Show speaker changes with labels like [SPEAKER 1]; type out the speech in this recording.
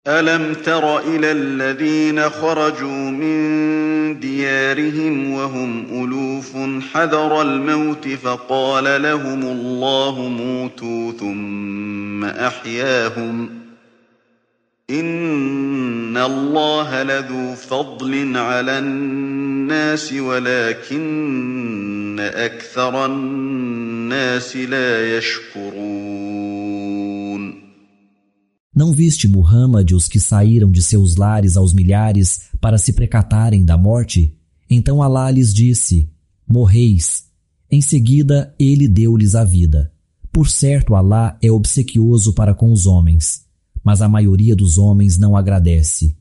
[SPEAKER 1] أَلَمْ تَرَ إِلَى الَّذِينَ خَرَجُوا مِن دِيَارِهِمْ وَهُمْ أُلُوفٌ حَذَرَ الْمَوْتِ فَقَالَ لَهُمُ اللَّهُ مُوتُوا ثُمَّ أَحْيَاهُمْ ۚ إِنَّ اللَّهَ لَذُو فَضْلٍ عَلَى النَّاسِ وَلَٰكِنَّ أَكْثَرَ النَّاسِ لَا يَشْكُرُونَ.
[SPEAKER 2] Não viste, Muhammad, os que saíram de seus lares aos milhares para se precatarem da morte? Então Alá lhes disse: morreis. Em seguida, ele deu-lhes a vida. Por certo, Alá é obsequioso para com os homens, mas a maioria dos homens não agradece.